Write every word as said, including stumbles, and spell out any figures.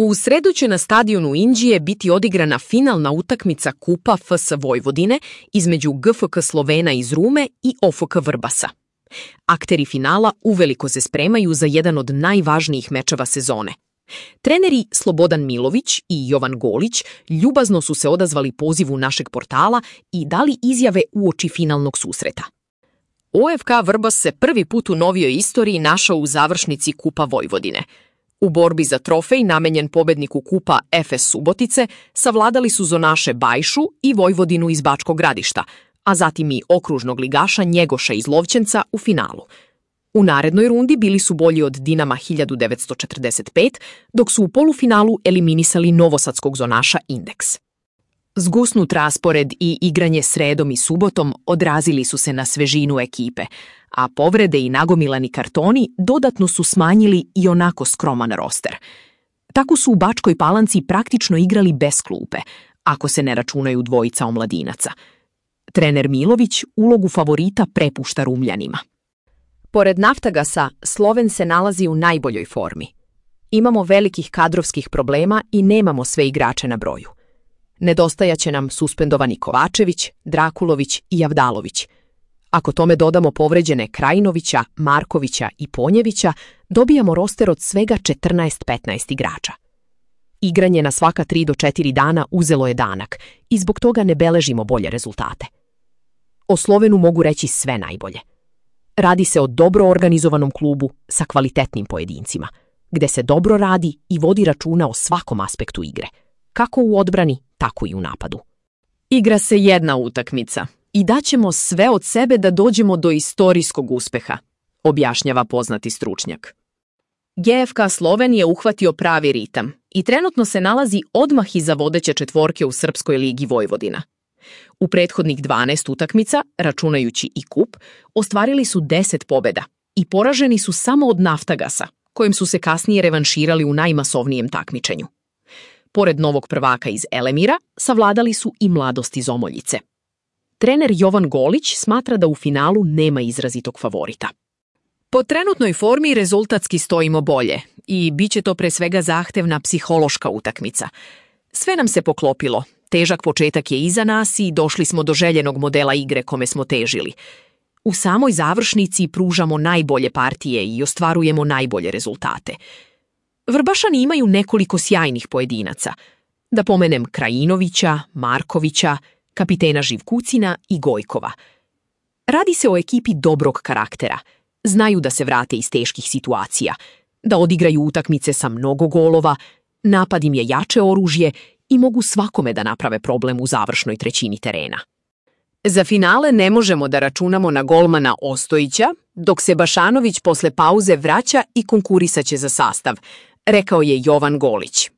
U sredu će na stadionu Inđije biti odigrana finalna utakmica Kupa F S Vojvodine između G F K Slovena iz Rume i O F K Vrbasa. Akteri finala uveliko se spremaju za jedan od najvažnijih mečeva sezone. Treneri Slobodan Milović i Jovan Golić ljubazno su se odazvali pozivu našeg portala i dali izjave uoči finalnog susreta. O F K Vrbas se prvi put u novijoj istoriji našao u završnici Kupa Vojvodine. U borbi za trofej namenjen pobedniku Kupa F S Subotice savladali su zonaše Bajšu i Vojvodinu iz Bačkog Gradišta, a zatim i okružnog ligaša Njegoša iz Lovćenca u finalu. U narednoj rundi bili su bolji od Dinama hiljadu devetsto četrdeset pet, dok su u polufinalu eliminisali novosadskog zonaša Indeks. Zgusnut raspored i igranje sredom i subotom odrazili su se na svežinu ekipe, a povrede i nagomilani kartoni dodatno su smanjili i onako skroman roster. Tako su u Bačkoj Palanci praktično igrali bez klupe, ako se ne računaju dvojica omladinaca. Trener Milović ulogu favorita prepušta Rumljanima. Pored Naftagasa, Sloven se nalazi u najboljoj formi. Imamo velikih kadrovskih problema i nemamo sve igrače na broju. Nedostajaće nam suspendovani Kovačević, Drakulović i Javdalović. Ako tome dodamo povređene Krajinovića, Markovića i Ponjevića, dobijamo roster od svega četrnaest petnaest igrača. Igranje na svaka tri do četiri dana uzelo je danak i zbog toga ne beležimo bolje rezultate. O Slovenu mogu reći sve najbolje. Radi se o dobro organizovanom klubu sa kvalitetnim pojedincima, gde se dobro radi i vodi računa o svakom aspektu igre, kako u odbrani, tako i u napadu. Igra se jedna utakmica i daćemo sve od sebe da dođemo do istorijskog uspeha, objašnjava poznati stručnjak. G F K Sloven je uhvatio pravi ritam i trenutno se nalazi odmah iza vodeće četvorke u Srpskoj ligi Vojvodina. U prethodnih dvanaest utakmica, računajući i kup, ostvarili su deset pobjeda i poraženi su samo od Naftagasa, kojim su se kasnije revanširali u najmasovnijem takmičenju. Pored novog prvaka iz Elemira, savladali su i Mladost iz Omoljice. Trener Jovan Golić smatra da u finalu nema izrazitog favorita. Po trenutnoj formi rezultatski stojimo bolje i bit će to pre svega zahtevna psihološka utakmica. Sve nam se poklopilo, težak početak je iza nas i došli smo do željenog modela igre kome smo težili. U samoj završnici pružamo najbolje partije i ostvarujemo najbolje rezultate. Vrbašani imaju nekoliko sjajnih pojedinaca. Da pomenem Krajinovića, Markovića, kapitena Živkucina i Gojkova. Radi se o ekipi dobrog karaktera. Znaju da se vrate iz teških situacija, da odigraju utakmice sa mnogo golova, napad im je jače oružje i mogu svakome da naprave problem u završnoj trećini terena. Za finale ne možemo da računamo na golmana Ostojića, dok se Bašanović posle pauze vraća i konkurisaće za sastav, rekao je Jovan Golić.